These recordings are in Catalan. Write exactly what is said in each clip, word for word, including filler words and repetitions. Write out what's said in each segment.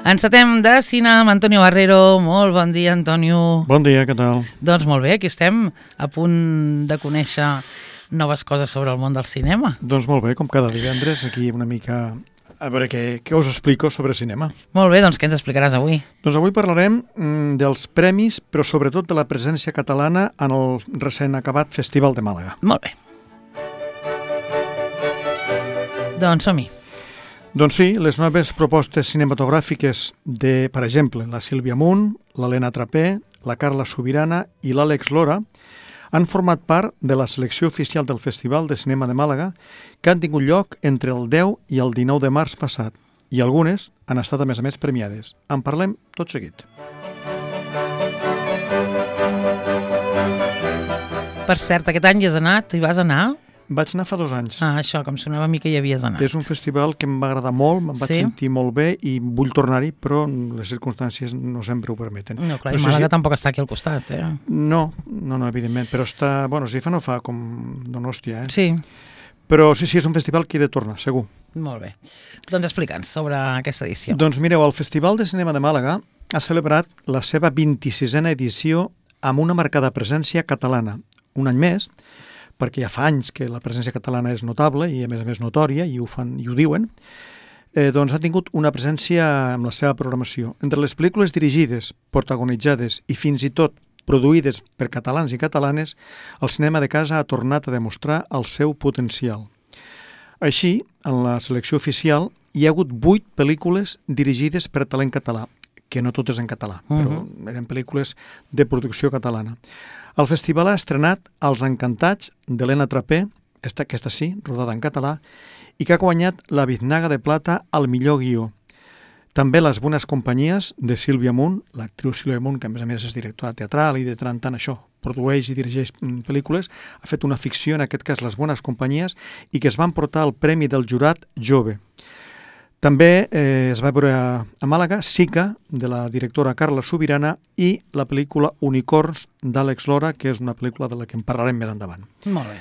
Encetem de cine amb Antonio Barrero. Molt bon dia, Antonio. Bon dia, què tal? Doncs molt bé, aquí estem a punt de conèixer noves coses sobre el món del cinema. Doncs molt bé, com cada divendres, aquí una mica a veure què, què us explico sobre cinema. Molt bé, doncs què ens explicaràs avui? Doncs avui parlarem mm, dels premis, però sobretot de la presència catalana en el recent acabat Festival de Màlaga. Molt bé. Doncs som-hi. Doncs sí, les noves propostes cinematogràfiques de, per exemple, la Sílvia Munt, l'Helena Trapé, la Carla Subirana i l'Àlex Lora han format part de la selecció oficial del Festival de Cinema de Màlaga, que han tingut lloc entre el deu i el dinou de març passat, i algunes han estat a més a més premiades. En parlem tot seguit. Per cert, aquest any hi has anat? Hi vas anar? Vaig anar fa dos anys. Ah, això, com sonava a mi que hi havies anat. És un festival que em va agradar molt, me'n vaig Sí? sentir molt bé i vull tornar-hi, però les circumstàncies no sempre ho permeten. No, clar, Però i sí, Màlaga sí. tampoc està aquí al costat, eh? No, no, no, evidentment, però està... Bueno, si fa no fa com Donòstia, eh? Sí, Però sí, sí, és un festival que hi he de tornar, segur. molt bé. Doncs explica'ns sobre aquesta edició. Doncs mireu, el Festival de Cinema de Màlaga ha celebrat la seva vint-i-sisena edició amb una marcada presència catalana. Un any més, perquè ja fa anys que la presència catalana és notable i a més a més notòria, i ho, fan, i ho diuen, eh, doncs ha tingut una presència amb la seva programació. Entre les pel·lícules dirigides, protagonitzades i fins i tot produïdes per catalans i catalanes, el cinema de casa ha tornat a demostrar el seu potencial. Així, en la selecció oficial hi ha hagut vuit pel·lícules dirigides per talent català, que no totes en català, però eren pel·lícules de producció catalana. El festival ha estrenat Els Encantats d'Helena Trapé, esta, aquesta sí, rodada en català, i que ha guanyat la Biznaga de Plata al millor guió. També Les Bones Companyies de Sílvia Munt, l'actriu Sílvia Munt, que a més a més és directora teatral i de tant en tant això, produeix i dirigeix pel·lícules, ha fet una ficció, en aquest cas Les Bones Companyies, i que es va emportar el Premi del Jurat Jove. També eh, es va veure a, a Màlaga Sica, de la directora Carla Subirana, i la pel·lícula Unicorns d'Àlex Lora, que és una pel·lícula de la que en parlarem més endavant. Molt bé.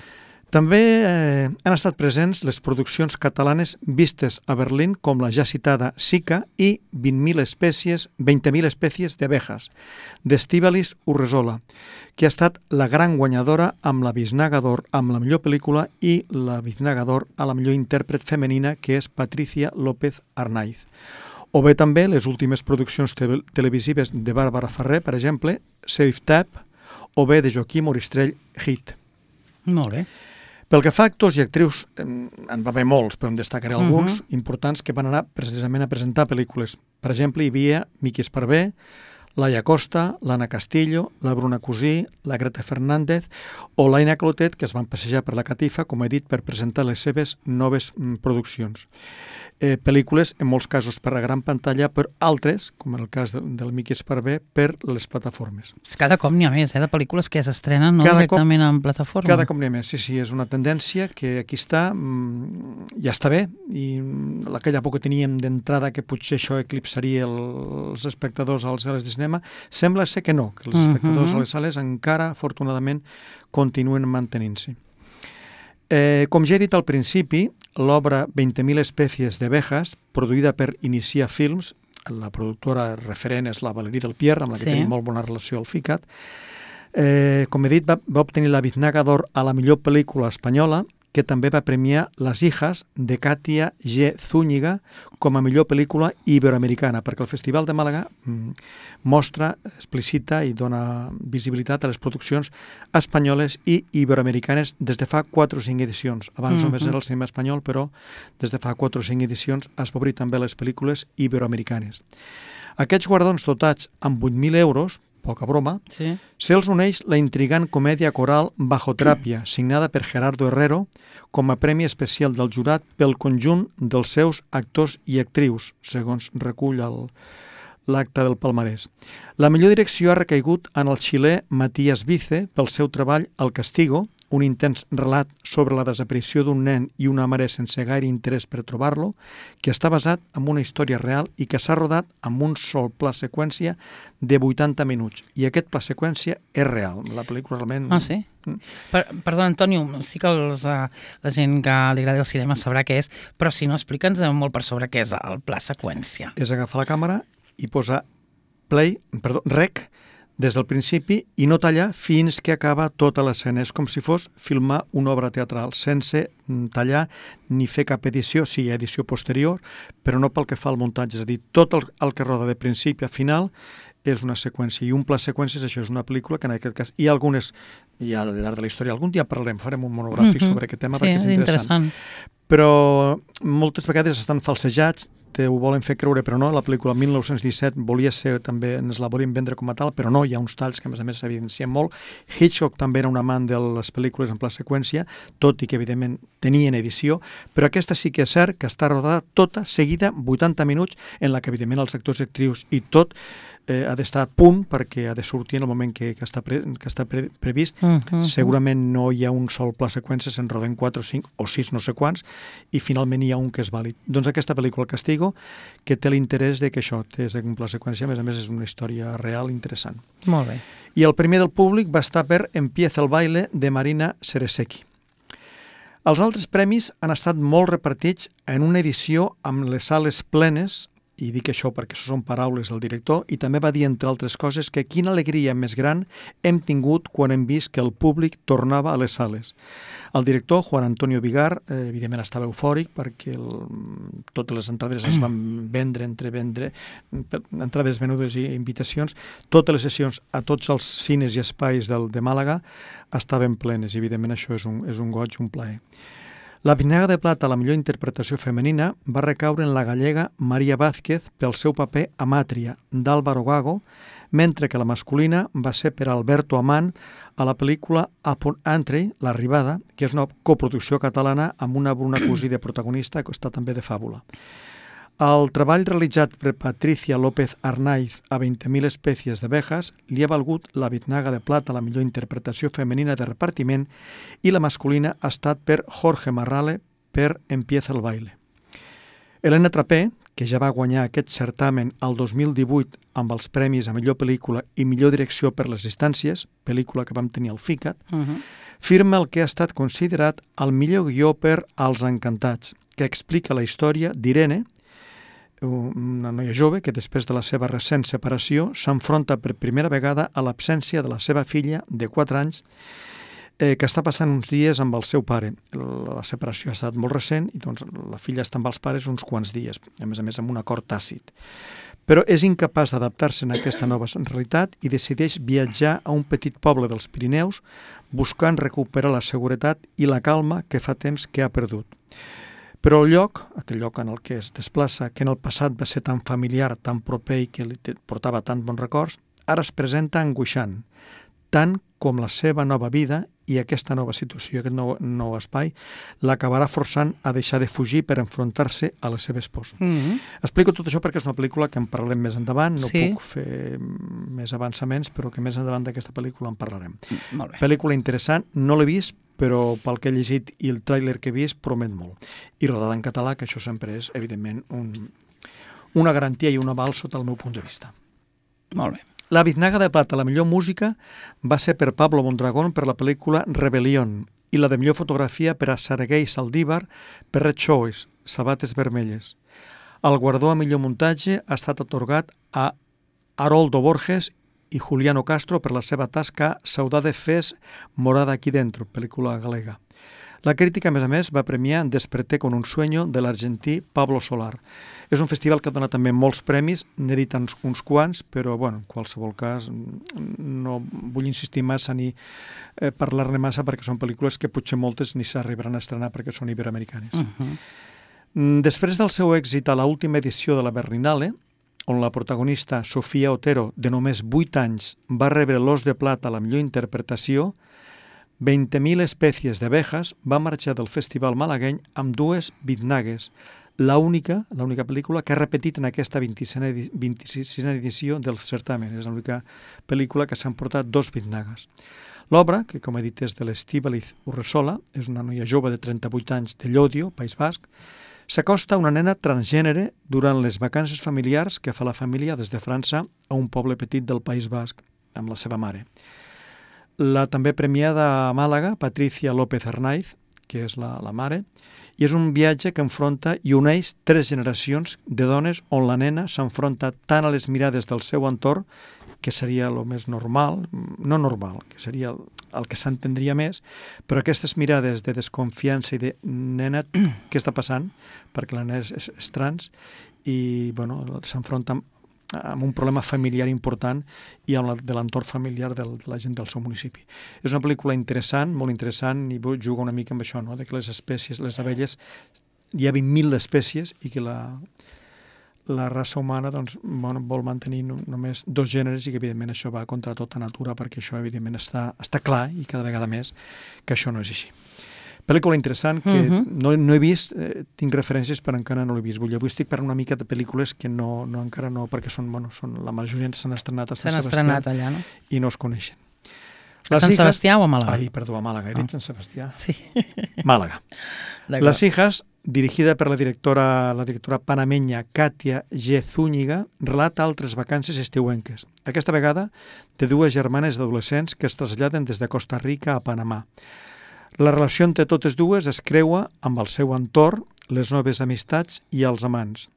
També eh, han estat presents les produccions catalanes vistes a Berlín, com la ja citada Sica i vint mil espècies, vint mil espècies d'abejas, d'Estíbalis Urresola, que ha estat la gran guanyadora amb la Biznaga d'Or amb la millor pel·lícula i la Biznaga d'Or a la millor intèrpret femenina, que és Patricia López Arnaiz. O bé també les últimes produccions te televisives de Bàrbara Ferrer, per exemple, Safe Tap, o bé de Joaquim Oristrell, Hit. Molt bé. Pel que fa a actors i actrius, en va haver molts, però en destacaré alguns Uh-huh. importants que van anar precisament a presentar pel·lícules. Per exemple, hi havia Miqui Esparvé, Laia Costa, l'Anna Castillo, la Bruna Cusí, la Greta Fernández o l'Aina Clotet, que es van passejar per la catifa, com he dit, per presentar les seves noves mm, produccions. Eh, pel·lícules, en molts casos, per la gran pantalla, però altres, com en el cas del, del Miqui Esparvé, per les plataformes. Cada cop n'hi ha més, eh, de pel·lícules que ja s'estrenen no Cada cop- directament en plataforma. Cada cop n'hi ha més, sí, sí, és una tendència que aquí està, mm, ja està bé, i mm, aquella por que teníem d'entrada que potser això eclipsaria el, els espectadors a les sales de cinema, sembla ser que no, que els espectadors Mhm. a les sales encara, afortunadament, continuen mantenint-se. Eh, com ja he dit al principi, l'obra vint mil espècies d'abejas, produïda per Inicia Films, la productora referent és la Valerie del Pierre, amb la que Sí. tenim molt bona relació al FICAT, eh, com he dit, va, va obtenir la Biznaga d'Or a la millor pel·lícula espanyola, que també va premiar Las Hijas de Katia G. Zúñiga com a millor pel·lícula iberoamericana, perquè el Festival de Màlaga mm, mostra, explicita i dona visibilitat a les produccions espanyoles i iberoamericanes des de fa quatre o cinc edicions. Abans Mhm. només era el cinema espanyol, però des de fa quatre o cinc edicions es va obrir també les pel·lícules iberoamericanes. Aquests guardons dotats amb vuit mil euros, poca broma, Sí. se'ls uneix la intrigant comèdia coral Bajo Teràpia, signada per Gerardo Herrero, com a premi especial del jurat pel conjunt dels seus actors i actrius, segons recull el, l'acte del palmarès. La millor direcció ha recaigut en el xilè Matías Vice pel seu treball El Castigo, un intens relat sobre la desaparició d'un nen i una mare sense gaire interès per trobar-lo, que està basat en una història real i que s'ha rodat amb un sol pla seqüència de vuitanta minuts. I aquest pla seqüència és real. La pel·lícula realment... Ah, sí? Per, perdó, Antonio, sí que els, uh, la gent que li agrada el cinema sabrà què és, però si no, explica'ns molt per sobre què és el pla seqüència. És agafar la càmera i posar play, perdó, rec, des del principi i no tallar fins que acaba tota l'escena. És com si fos filmar una obra teatral, sense tallar ni fer cap edició, sí, edició posterior, però no pel que fa al muntatge. És a dir, tot el, el que roda de principi a final és una seqüència. I un pla seqüències, això és una pel·lícula que en aquest cas hi ha algunes, i al llarg de la història, algun dia parlarem, farem un monogràfic mm-hmm. sobre aquest tema sí, perquè és interessant. interessant. Però moltes vegades estan falsejats, te ho volen fer creure, però no. La pel·lícula mil nou-cents disset volia ser també, ens la volien vendre com a tal, però no, hi ha uns talls que a més a més s'evidencien molt. Hitchcock també era un amant de les pel·lícules en pla seqüència, tot i que evidentment tenien edició, però aquesta sí que és cert que està rodada tota seguida, vuitanta minuts, en la que evidentment els actors i actrius i tot eh, ha d'estar a punt perquè ha de sortir en el moment que, que està, pre, que està pre, previst. Uh -huh. Segurament no hi ha un sol pla seqüència, se'n roden quatre o cinc o sis, no sé quants, i finalment hi ha un que és vàlid. Doncs aquesta pel·lícula, El Castigo, que té l'interès de que això és un pla seqüència, a més a més és una història real interessant. Molt bé. I el primer del públic va estar per Empieza el baile, de Marina Seresecki. Els altres premis han estat molt repartits en una edició amb les sales plenes, i dic això perquè això són paraules del director, i també va dir, entre altres coses, que quina alegria més gran hem tingut quan hem vist que el públic tornava a les sales. El director, Juan Antonio Vigar, eh, evidentment estava eufòric perquè el, totes les entrades es van vendre, entre vendre, entrades venudes i invitacions. Totes les sessions a tots els cines i espais del, de Màlaga estaven plenes, i evidentment això és un, és un goig, un plaer. La Bitnaga de Plata, la millor interpretació femenina, va recaure en la gallega Maria Vázquez pel seu paper Amàtria, d'Álvaro Gago, mentre que la masculina va ser per Alberto Amant a la pel·lícula Upon Entry, L'Arribada, que és una coproducció catalana amb una Bruna Cusí de protagonista, que està també de fàbula. El treball realitzat per Patricia López Arnaiz a veinte mil espècies d'abejas li ha valgut la Bitnaga de Plata, la millor interpretació femenina de repartiment, i la masculina ha estat per Jorge Marrale per Empieza el baile. Helena Trapé, que ja va guanyar aquest certamen el dos mil divuit amb els premis a millor pel·lícula i millor direcció per les distàncies, pel·lícula que vam tenir al FICAT, uh-huh. firma el que ha estat considerat el millor guió per Els Encantats, que explica la història d'Irene, una noia jove que després de la seva recent separació s'enfronta per primera vegada a l'absència de la seva filla de quatre anys eh, que està passant uns dies amb el seu pare. La separació ha estat molt recent i doncs, la filla està amb els pares uns quants dies, a més a més amb un acord tàcit. Però és incapaç d'adaptar-se a aquesta nova realitat i decideix viatjar a un petit poble dels Pirineus buscant recuperar la seguretat i la calma que fa temps que ha perdut. Però el lloc, aquell lloc en el que es desplaça, que en el passat va ser tan familiar, tan proper i que li portava tant bons records, ara es presenta angoixant, tant com la seva nova vida i aquesta nova situació, aquest nou, nou espai, l'acabarà forçant a deixar de fugir per enfrontar-se a la seva esposa. Mm-hmm. Explico tot això perquè és una pel·lícula que en parlarem més endavant, no sí. puc fer més avançaments, però que més endavant d'aquesta pel·lícula en parlarem. Molt bé. Pel·lícula interessant, no l'he vist, però pel que he llegit i el tràiler que he vist promet molt. I rodada en català, que això sempre és, evidentment, un, una garantia i un aval sota el meu punt de vista. Molt bé. La Bitnaga de Plata, la millor música, va ser per Pablo Mondragón per la pel·lícula Rebelión i la de millor fotografia per a Sergei Saldívar per Red Choice, Sabates vermelles. El guardó a millor muntatge ha estat atorgat a Haroldo Borges i Juliano Castro per la seva tasca Saudade Fes morada aquí dentro, pel·lícula galega. La crítica, a més a més, va premiar Desperté con un sueño de l'argentí Pablo Solar. És un festival que dona també molts premis, n'he dit uns, uns quants, però, bueno, en qualsevol cas, no vull insistir massa ni eh, parlar-ne massa perquè són pel·lícules que potser moltes ni s'arribaran a estrenar perquè són iberoamericanes. Uh-huh. Després del seu èxit a l'última edició de la Berlinale, on la protagonista Sofia Otero, de només vuit anys, va rebre l'Os de Plata a la millor interpretació, veinte mil espècies d'abejas va marxar del festival malagueny amb dues bitnagues, l'única l'única pel·lícula que ha repetit en aquesta vint-i-sisena edició del certamen. És l'única pel·lícula que s'han portat dos bitnagues. L'obra, que com he dit és de l'Estíbaliz Urresola, és una noia jove de trenta-vuit anys de Llodio, País Basc, s'acosta a una nena transgènere durant les vacances familiars que fa la família des de França a un poble petit del País Basc, amb la seva mare. La també premiada a Màlaga, Patricia López Arnaiz, que és la, la mare, i és un viatge que enfronta i uneix tres generacions de dones on la nena s'enfronta tant a les mirades del seu entorn, que seria el més normal, no normal, que seria el, el que s'entendria més, però aquestes mirades de desconfiança i de nena, què està passant? Perquè la nena és, és, és trans i bueno, s'enfronta amb, amb un problema familiar important i amb la, de l'entorn familiar del, de la gent del seu municipi. És una pel·lícula interessant, molt interessant, i juga una mica amb això, no? De que les espècies, les abelles, hi ha vint mil espècies i que la... la raça humana doncs, bueno, vol mantenir només dos gèneres i que evidentment això va contra tota natura perquè això evidentment està, està clar i cada vegada més que això no és així. Pel·lícula interessant que uh-huh. no, no he vist, eh, tinc referències però encara no l'he vist. Vull, avui estic per una mica de pel·lícules que no, no encara no, perquè són, bueno, són, la majoria s'han estrenat a Sant Sebastià allà, no? I no es coneixen. A Sant Sebastià o a Màlaga? Ai, perdó, a Màlaga, he dit Sant Sebastià. Sí. Màlaga. Las hijas, dirigida per la directora, la directora panamenya Katia G. Zúñiga, relata altres vacances estiuenques. Aquesta vegada de dues germanes adolescents que es traslladen des de Costa Rica a Panamà. La relació entre totes dues es creua amb el seu entorn, les noves amistats i els amants.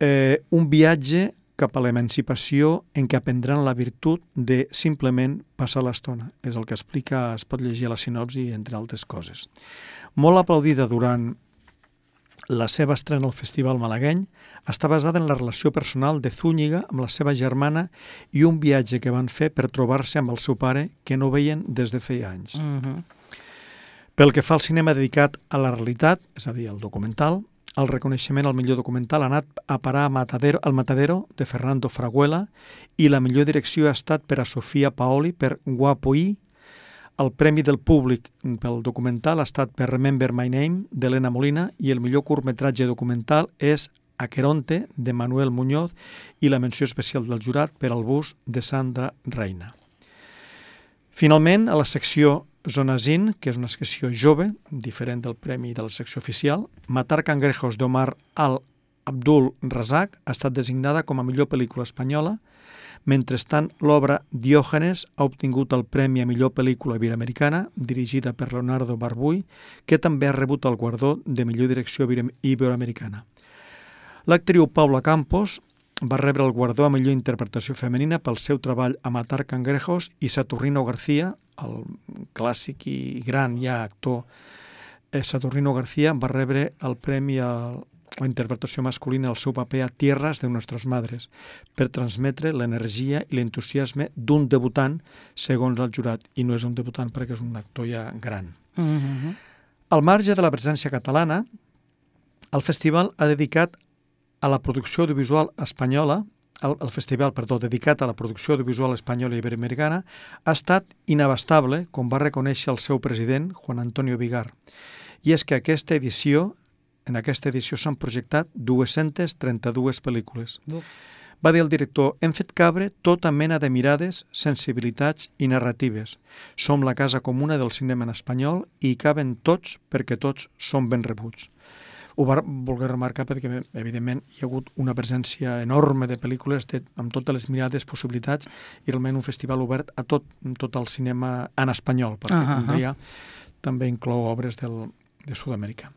Eh, un viatge cap a l'emancipació en què aprendran la virtut de simplement passar l'estona. És el que explica, es pot llegir a la sinopsi, entre altres coses. Molt aplaudida durant la seva estrena al Festival Malagueny, està basada en la relació personal de Zúñiga amb la seva germana i un viatge que van fer per trobar-se amb el seu pare que no veien des de feia anys. Uh-huh. Pel que fa al cinema dedicat a la realitat, és a dir, al documental, el reconeixement al millor documental ha anat a parar a Matadero, al Matadero de Fernando Fraguela i la millor direcció ha estat per a Sofia Paoli per Guapo I. El premi del públic pel documental ha estat per Remember My Name d'Helena Molina i el millor curtmetratge documental és Aqueronte de Manuel Muñoz i la menció especial del jurat per al bus de Sandra Reina. Finalment, a la secció Zonazin, que és una secció jove, diferent del premi de la secció oficial, Matar cangrejos d'Omar Al-Abdul Razak ha estat designada com a millor pel·lícula espanyola, mentrestant l'obra Diògenes ha obtingut el premi a millor pel·lícula iberoamericana, dirigida per Leonardo Barbuy, que també ha rebut el guardó de millor direcció iberoamericana. L'actriu Paula Campos va rebre el guardó a millor interpretació femenina pel seu treball a Matar cangrejos i Saturnino García, el clàssic i gran ja actor eh, Saturnino García, va rebre el premi a la interpretació masculina al seu paper a Tierras de Nuestras Madres per transmetre l'energia i l'entusiasme d'un debutant segons el jurat, i no és un debutant perquè és un actor ja gran. Uh-huh. Al marge de la presència catalana, el festival ha dedicat a la producció audiovisual espanyola, el, el festival, perdó, dedicat a la producció audiovisual espanyola i iberoamericana, ha estat inabastable, com va reconèixer el seu president, Juan Antonio Vigar. I és que aquesta edició, en aquesta edició s'han projectat dues-centes trenta-dues pel·lícules. Uf. Va dir el director, hem fet cabre tota mena de mirades, sensibilitats i narratives. Som la casa comuna del cinema en espanyol i hi caben tots perquè tots són ben rebuts. Ho va voler remarcar perquè, evidentment, hi ha hagut una presència enorme de pel·lícules de, amb totes les mirades, possibilitats, i realment un festival obert a tot, tot el cinema en espanyol, perquè, uh-huh. com deia, també inclou obres del, de Sud-amèrica.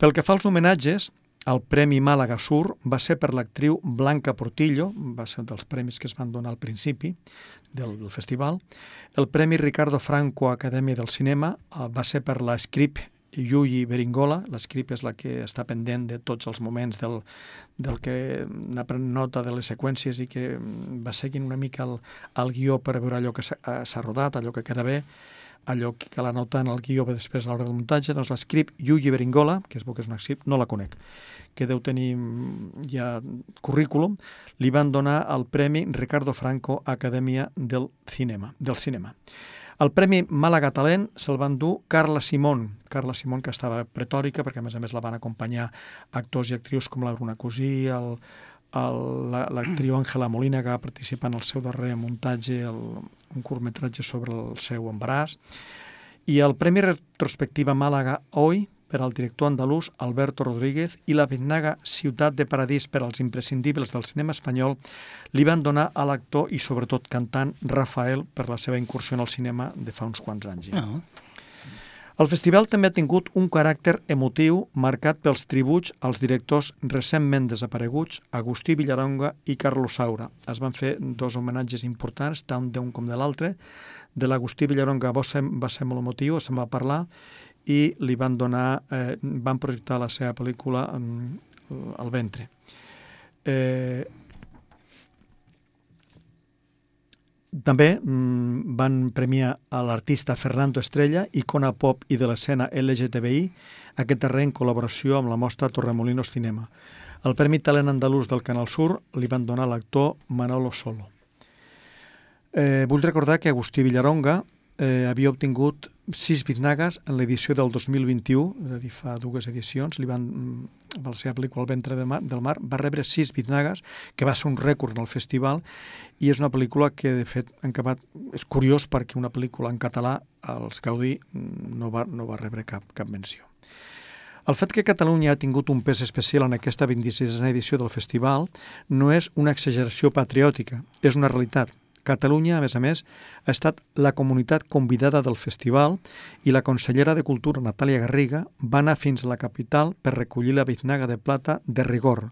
Pel que fa als homenatges, el Premi Màlaga Sur va ser per l'actriu Blanca Portillo, va ser dels premis que es van donar al principi del, del festival. El Premi Ricardo Franco Acadèmia del Cinema va ser per la Scrip Yuyi Beringola. La Scrip és la que està pendent de tots els moments del, del que n'ha pres nota de les seqüències i que va seguint una mica el, el guió per veure allò que s'ha rodat, allò que queda bé, allò que cal anotar en el guió després a l'hora del muntatge. Doncs la Scrip Yuyi Beringola, que es veu que és una Scrip, no la conec, que deu tenir ja currículum, li van donar el Premi Ricardo Franco Acadèmia del Cinema. Del cinema. El Premi Màlaga Talent se'l van dur Carla Simón Carla Simón, que estava pretòrica, perquè a més a més la van acompanyar actors i actrius com la Bruna Cosí, el, el, l'actriu Àngela Molina, que va participar en el seu darrer muntatge, el, un curtmetratge sobre el seu embaràs. I el Premi Retrospectiva Màlaga Hoy, per al director andalús Alberto Rodríguez, i la Biznaga Ciutat de Paradís per als imprescindibles del cinema espanyol li van donar a l'actor i sobretot cantant Rafael per la seva incursió en el cinema de fa uns quants anys. Ja. Oh. El festival també ha tingut un caràcter emotiu marcat pels tributs als directors recentment desapareguts Agustí Villaronga i Carlos Saura. Es van fer dos homenatges importants, tant d'un com de l'altre. De l'Agustí Villaronga va ser, va ser molt emotiu, se'n va parlar, i li van donar, eh, van projectar la seva pel·lícula al ventre. Eh, també mm, van premiar a l'artista Fernando Estrella, icona pop i de l'escena L G T B I, aquest darrer en col·laboració amb la mostra Torremolinos Cinema. El Premi Talent Andalús del Canal Sur li van donar a l'actor Manolo Solo. Eh, vull recordar que Agustí Villaronga eh, havia obtingut sis Biznagas en l'edició del dos mil vint-i-u, és a dir, fa dues edicions, li van, amb la seva pel·lícula El ventre de mar, del mar, va rebre sis Biznagas, que va ser un rècord en el festival, i és una pel·lícula que, de fet, en acabat, és curiós perquè una pel·lícula en català, els Gaudí, no va, no va rebre cap, cap menció. El fet que Catalunya ha tingut un pes especial en aquesta vint-i-sisena edició del festival no és una exageració patriòtica, és una realitat. Catalunya, a més a més, ha estat la comunitat convidada del festival i la consellera de Cultura, Natàlia Garriga, va anar fins a la capital per recollir la Biznaga de Plata de rigor.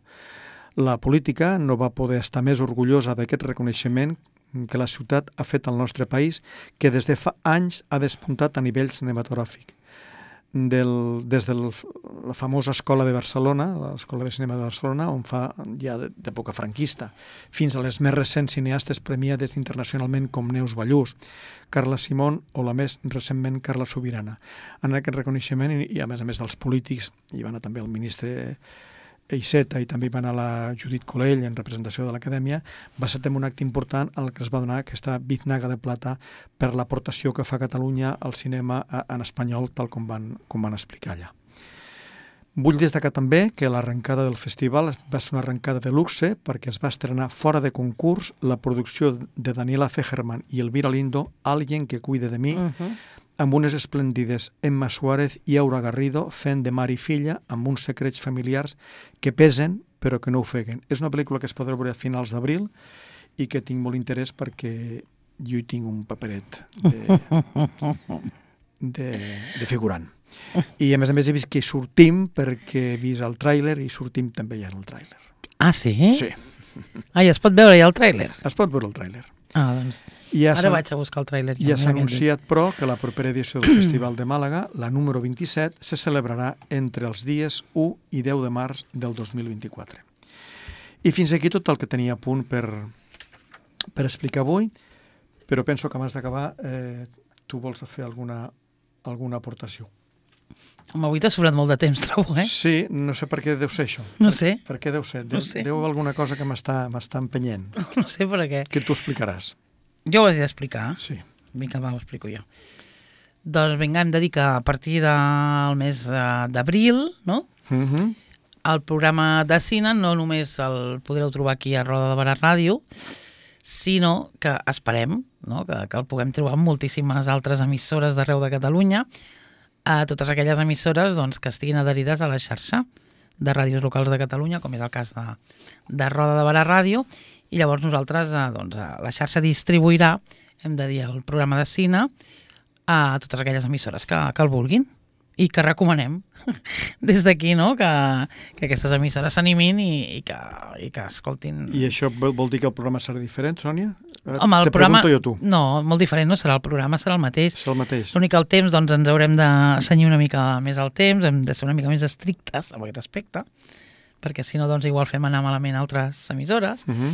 La política no va poder estar més orgullosa d'aquest reconeixement que la ciutat ha fet al nostre país, que des de fa anys ha despuntat a nivell cinematogràfic. Del, des de la famosa Escola de Barcelona, l'Escola de Cinema de Barcelona, on fa ja d'època franquista, fins a les més recents cineastes premiades internacionalment com Neus Ballús, Carla Simón o la més recentment Carla Subirana. En aquest reconeixement, i a més a més dels polítics, hi va anar també el ministre Iceta i també va anar la Judit Colell en representació de l'Acadèmia, va ser també un acte important en el que es va donar aquesta Biznaga de Plata per l'aportació que fa Catalunya al cinema en espanyol, tal com van, com van explicar allà. Vull destacar també que l'arrencada del festival va ser una arrencada de luxe perquè es va estrenar fora de concurs la producció de Daniela Fegerman i Elvira Lindo, Alguien que cuide de mi, uh-huh. amb unes esplèndides Emma Suárez i Aura Garrido fent de mare i filla amb uns secrets familiars que pesen però que no ofeguen. És una pel·lícula que es podrà veure a finals d'abril i que tinc molt interès perquè jo hi tinc un paperet de, de, de figurant. I a més a més he vist que hi sortim perquè he vist el tràiler i sortim també ja en el tràiler. Ah, sí? Sí. Ah, i es pot veure ja el tràiler? Es pot veure el tràiler. Ah, doncs ja ara vaig a buscar el tràiler. Ja s'ha anunciat, però, que la propera edició del Festival de Màlaga, la número vint-i-set, se celebrarà entre els dies u i deu de març del dos mil vint-i-quatre. I fins aquí tot el que tenia a punt per, per explicar avui, però penso que abans d'acabar eh, tu vols fer alguna, alguna aportació. Home, avui t'ha sobrat molt de temps, trobo, eh? Sí, no sé per què deu ser això. No sé. Per, per què deu ser? Deu, no sé. Deu alguna cosa que m'està empenyent. No sé per què. Que tu explicaràs. Jo ho he d'explicar? Sí. Vinga, va, ho explico jo. Doncs vinga, hem de dir que a partir del mes d'abril, no? Uh-huh. El programa de cine no només el podreu trobar aquí a Roda de Barà Ràdio, sinó que esperem, no? que, que el puguem trobar en moltíssimes altres emissores d'arreu de Catalunya, a totes aquelles emissores doncs, que estiguin adherides a la xarxa de ràdios locals de Catalunya, com és el cas de, de Roda de Barà Ràdio, i llavors nosaltres, eh, doncs, la xarxa distribuirà, hem de dir, el programa de cine a totes aquelles emissores que, que el vulguin i que recomanem des d'aquí, no? que, que aquestes emissores s'animin i, i, que, i que escoltin. I això vol dir que el programa serà diferent, Sònia? Home, el Te programa... pregunto jo tu. No, molt diferent no serà, el programa serà el mateix. Serà el mateix. L'únic que el temps, doncs, ens haurem de cenyir una mica més al temps, hem de ser una mica més estrictes amb aquest aspecte, perquè si no, doncs, igual fem anar malament altres emissores. Uh-huh.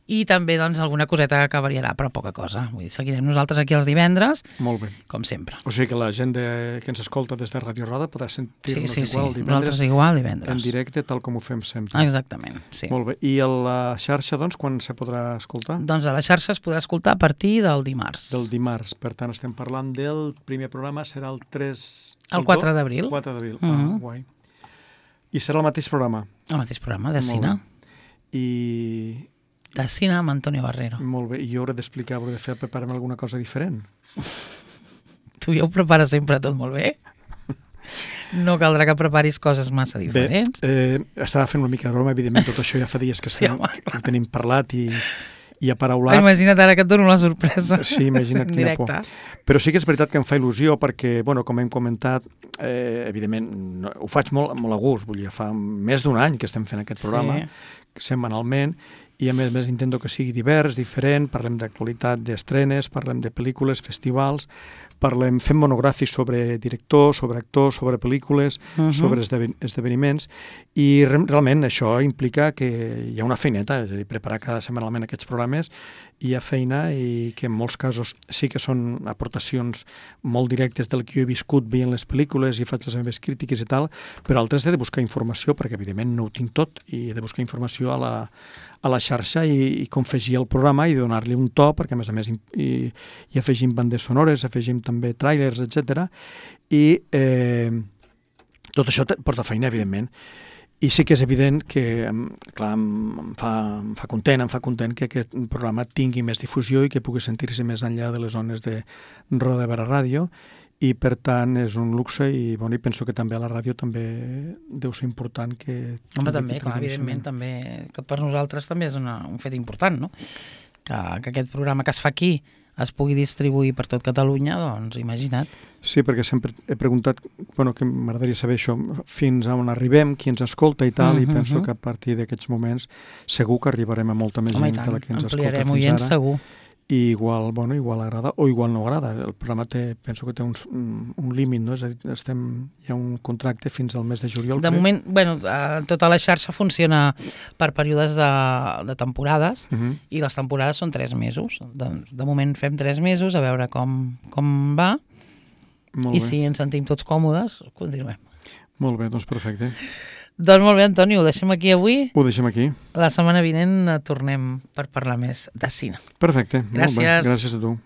i també doncs, alguna coseta que variarà, però poca cosa. Vull dir, seguirem nosaltres aquí els divendres, Molt bé. com sempre. O sigui que la gent de, que ens escolta des de Ràdio Roda podrà sentir-nos sí, sí, igual sí. divendres, Nosaltres igual divendres. en directe, tal com ho fem sempre. Exactament, sí. Molt bé. I a la xarxa, doncs, quan se podrà escoltar? Doncs a la xarxa es podrà escoltar a partir del dimarts. Del dimarts. Per tant, estem parlant del primer programa, serà el tres... El quatre d'abril. quatre d'abril, Mm -hmm. ah, guai. I serà el mateix programa? El mateix programa, de Molt cine. bé. I... De cine amb Antonio Barrero. Molt bé. I jo hauré d'explicar, hauré de fer, preparar-me alguna cosa diferent. Tu ja ho prepares sempre tot molt bé. No caldrà que preparis coses massa diferents. Bé, eh, estava fent una mica de broma, evidentment, tot això ja fa dies que, Sí, estem, home, que ho tenim parlat i, i aparaulat. Imagina't ara que et dono la sorpresa. Sí, imagina't en quina por. directe. Però sí que és veritat que em fa il·lusió perquè, bueno, com hem comentat, eh, evidentment no, ho faig molt, molt a gust, vull dir, fa més d'un any que estem fent aquest programa, Sí. setmanalment, i a més a més intento que sigui divers, diferent, parlem d'actualitat, d'estrenes, parlem de pel·lícules, festivals, parlem, fem monogràfics sobre directors, sobre actors, sobre pel·lícules, uh -huh. sobre esdeven esdeveniments, i re realment això implica que hi ha una feineta, és a dir, preparar cada setmanalment aquests programes, hi ha feina i que en molts casos sí que són aportacions molt directes del que jo he viscut veient les pel·lícules i faig les meves crítiques i tal, però altres he de buscar informació, perquè evidentment no ho tinc tot, i he de buscar informació a la, a la xarxa i, i confegir el programa i donar-li un to, perquè a més a més i, i afegim bandes sonores, afegim també tràilers, etcètera. I eh, tot això porta feina, evidentment. I sí que és evident que, clar, em fa, em fa content, em fa content que aquest programa tingui més difusió i que pugui sentir-se més enllà de les zones de Roda de Barà Ràdio, i per tant és un luxe i, bueno, i penso que també a la ràdio també deu ser important que... Home, també, clar, evidentment, també, que per nosaltres també és una, un fet important, no? Que, que aquest programa que es fa aquí es pugui distribuir per tot Catalunya, doncs imagina't. Sí, perquè sempre he preguntat, bueno, que m'agradaria saber això, fins a on arribem, qui ens escolta i tal, uh -huh, i penso uh -huh. que a partir d'aquests moments segur que arribarem a molta més Home, gent de la que ens escolta fins oients, ara. segur. I igual, bueno, igual agrada o igual no agrada. El programa té, penso que té un, un límit, no? És a dir, estem, hi ha un contracte fins al mes de juliol. De crec. moment, bueno, tota la xarxa funciona per períodes de, de temporades, Uh -huh. i les temporades són tres mesos. De, de moment fem tres mesos, a veure com, com va, Molt i bé. si ens sentim tots còmodes, continuem. Molt bé, doncs perfecte. Doncs molt bé, Antoni, ho deixem aquí avui. Ho deixem aquí. La setmana vinent tornem per parlar més de cine. Perfecte. Gràcies. Molt bé. Gràcies a tu.